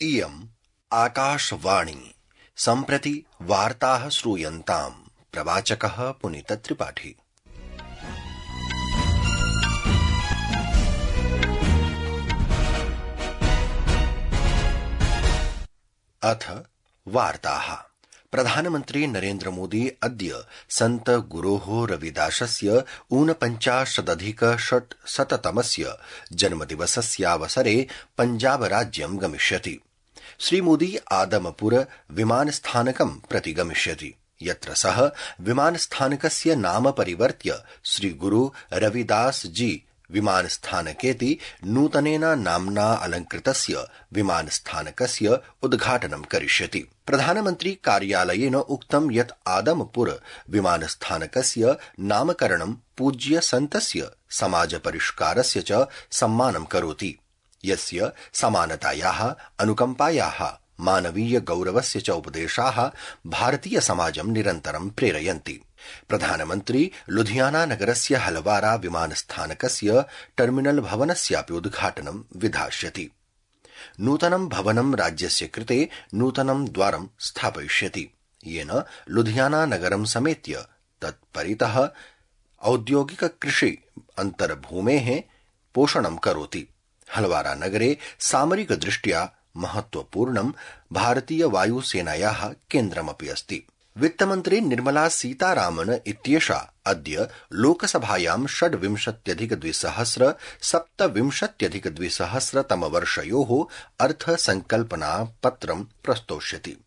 इयम् आकाशवाणी सम्प्रति वार्ताः श्रूयन्ताम्। प्रवाचकः पुनीतत्रिपाठी। अथ वार्ताः। प्रधानमन्त्री नरेन्द्र मोदी अद्य सन्त गुरोः रविदासस्य ऊनपञ्चाशदधिकषट्शततमस्य जन्मदिवसस्यावसरे पञ्जाब राज्यं गमिष्यति। श्रीमोदी आदमपुर विमानस्थानकं प्रति गमिष्यति, यत्र सः विमानस्थानकस्य नाम परिवर्त्य श्रीगुरु रविदास जी विमानस्थानकेति नूतनेन नाम्ना अलंकृतस्य विमानस्थानकस्य उद्घाटनं करिष्यति। प्रधानमन्त्री कार्यालयेन उक्तं यत् आदमपुर विमानस्थानकस्य नामकरणं पूज्य सन्तस्य समाज परिष्कारस्य च सम्मानं करोति, यस्य समानतायाः, अनुकम्पायाः, मानवीय गौरवस्य च उपदेशाः भारतीय समाजं निरन्तरं प्रेरयन्ति। प्रधानमन्त्री लुधियाना नगरस्य हलवारा विमानस्थानकस्य टर्मिनल भवनस्यापि उद्घाटनं विधास्यति। नूतनं भवनं राज्यस्य कृते नूतनं द्वारं स्थापयिष्यति, येन लुधियाना नगरं समेत्य तत्परितः औद्योगिक कृषि अन्तर्भूमेः पोषणं करोति। हलवारा नगरे सामरिक दृष्ट्या महत्वपूर्णं भारतीय वायुसेनायाः केन्द्रमपि अस्ति। वित्तमन्त्री निर्मला सीतारामन इत्येषा अद्य लोकसभायां 26,2027-तमवर्षयोः अर्थसंकल्पनापत्रं प्रस्तोष्यति।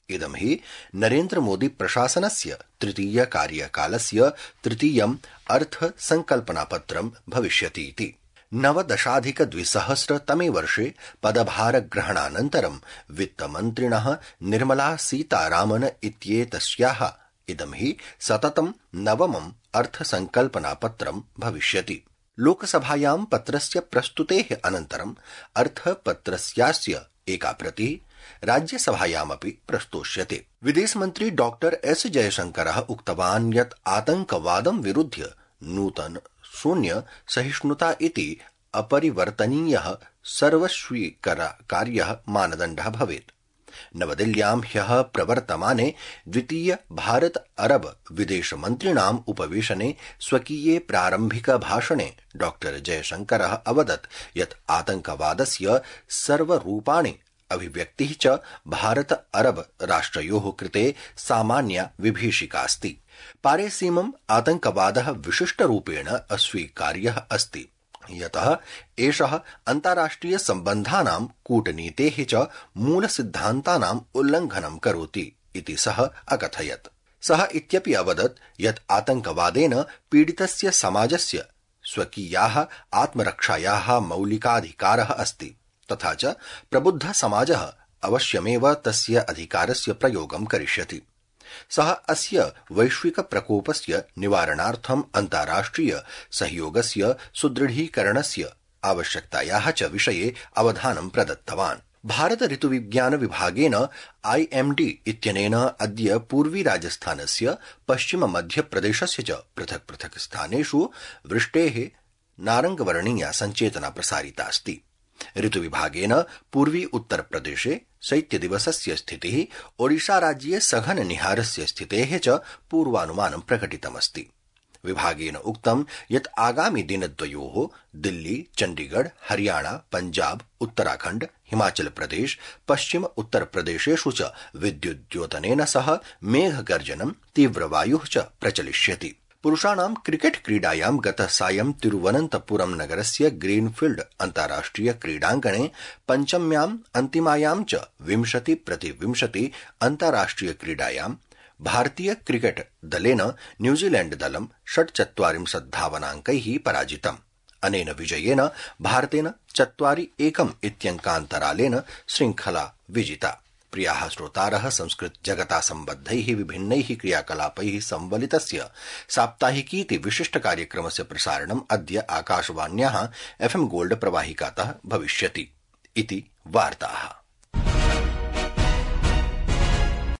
इदं हि नरेन्द्र मोदी प्रशासनस्य तृतीय कार्यकालस्य तृतीयम् अर्थसंकल्पनापत्रं भविष्यतीति। 19,2000 वर्षे पदभारग्रहणानन्तरं वित्तमन्त्रिणः निर्मला सीतारामन इत्येतस्याः इदं हि सततं नवमम् अर्थसंकल्पनापत्रं भविष्यति। लोकसभायां पत्रस्य प्रस्तुतेः अनन्तरं अर्थपत्रस्यास्य एका प्रतिः राज्यसभायामपि प्रस्तोष्यते। विदेशमन्त्री डॉक्टर एस जयशंकरः उक्तवान् यत् आतंकवादं विरुध्य नूतन शून्य सहिष्णुता इति अपरिवर्तनीयः सर्वस्वीकार्यः मानदण्डः भवेत्। नवदिल्ल्यां ह्यः प्रवर्तमाने द्वितीय भारत अरब विदेशमन्त्रिणाम् उपवेशने स्वकीये प्रारम्भिक भाषणे डॉक्टर जयशंकरः अवदत् यत् आतंकवादस्य सर्वरूपाणि अभिव्यक्तिः च भारत अरब राष्ट्रयोः कृते सामान्या विभीषिकास्ति। पारेसीमम् आतंकवादः विशिष्टरूपेण अस्वीकार्यः अस्ति, यतः एषः अन्ताराष्ट्रिय सम्बन्धानां कूटनीतेः च मूलसिद्धान्तानाम् उल्लङ्घनं करोति इति सः अकथयत्। सः इत्यपि अवदत् यत् आतंकवादेन पीडितस्य समाजस्य स्वकीयाः आत्मरक्षायाः मौलिकाधिकारः अस्ति, तथा च प्रबुद्ध समाजः अवश्यमेव तस्य अधिकारस्य प्रयोगं करिष्यति। सः अस्य वैश्विक प्रकोपस्य निवारणार्थम् अन्ताराष्ट्रिय सहयोगस्य सुदृढीकरणस्य आवश्यकतायाः च विषये अवधानं प्रदत्तवान्। भारत ऋतुविज्ञान विभागेन IMD इत्यनेन अद्य पूर्वी राजस्थानस्य पश्चिम मध्यप्रदेशस्य च पृथक् पृथक् स्थानेषु वृष्टेः नारङ्गवर्णीया सञ्चेतना प्रसारितास्ति। ऋतुविभागेन पूर्वी उत्तर प्रदेशे शैत्यदिवसस्य स्थितिः, ओडिशा राज्ये सघन निहारस्य स्थितेः च पूर्वानुमानं प्रकटितमस्ति। विभागेन उक्तं यत् आगामि दिनद्वयोः दिल्ली, चण्डीगढ़, हरियाणा, पञ्जाब, उत्तराखण्ड, हिमाचल प्रदेश, पश्चिम उत्तर प्रदेशेषु च विद्युद्योतनेन सह मेघगर्जनं, तीव्रवायुः च प्रचलिष्यति। पुरुषाणां क्रिकेट क्रीडायां गतसायं तिरुवनन्तपुरं नगरस्य ग्रीनफील्ड अन्ताराष्ट्रिय क्रीडाङ्गणे पञ्चम्याम् अन्तिमायां च 20-20 अन्ताराष्ट्रिय क्रीडायां भारतीय क्रिकेट दलेन न्यूजीलैण्ड दलं 46 धावनाङ्कैः पराजितम्। अनेन विजयेन भारतेन 4-1 इत्यङ्कान्तरालेन श्रृङ्खला विजिता। प्रियाः श्रोतारः, संस्कृत जगता सम्बद्धैः विभिन्नैः क्रियाकलापैः संवलितस्य साप्ताहिकीति विशिष्ट कार्यक्रमस्य प्रसारणम् अद्य आकाशवाण्याः FM गोल्ड प्रवाहिकातः भविष्यति इति वार्ताः।